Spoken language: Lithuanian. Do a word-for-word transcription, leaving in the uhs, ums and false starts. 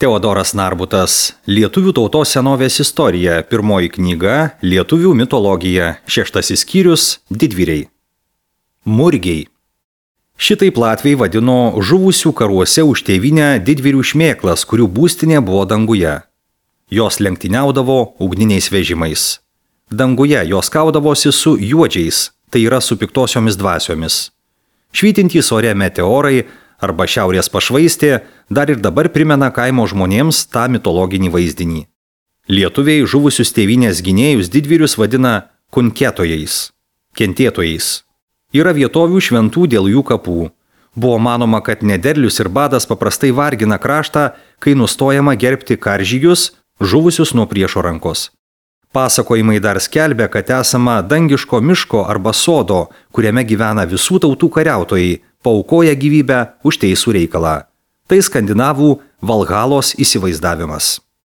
Teodoras Narbutas. Lietuvių tautos senovės istorija. Pirmoji knyga. Lietuvių mitologija. Šeštasis skyrius. Didvyriai. Murgiai. Šitaip latviai vadino žuvusių karuose už tėvynę didvyrių šmėklas, kurių būstinė buvo danguje. Jos lenktyniaudavo ugniniais vežimais. Danguje jos kaudavosi su juodžiais, tai yra su piktosiomis dvasiomis. Švytintys ore meteorai arba šiaurės pašvaistė dar ir dabar primena kaimo žmonėms tą mitologinį vaizdinį. Lietuviai žuvusius tėvynės gynėjus didvyrius vadina kunketojais, kentėtojais. Yra vietovių šventų dėl jų kapų. Buvo manoma, kad nederlius ir badas paprastai vargina kraštą, kai nustojama gerbti karžygius, žuvusius nuo priešo rankos. Pasakojimai dar skelbia, kad esama dangiško miško arba sodo, kuriame gyvena visų tautų kariautojai, paaukoja gyvybę už teisų reikalą. Tai skandinavų Valhalos įsivaizdavimas.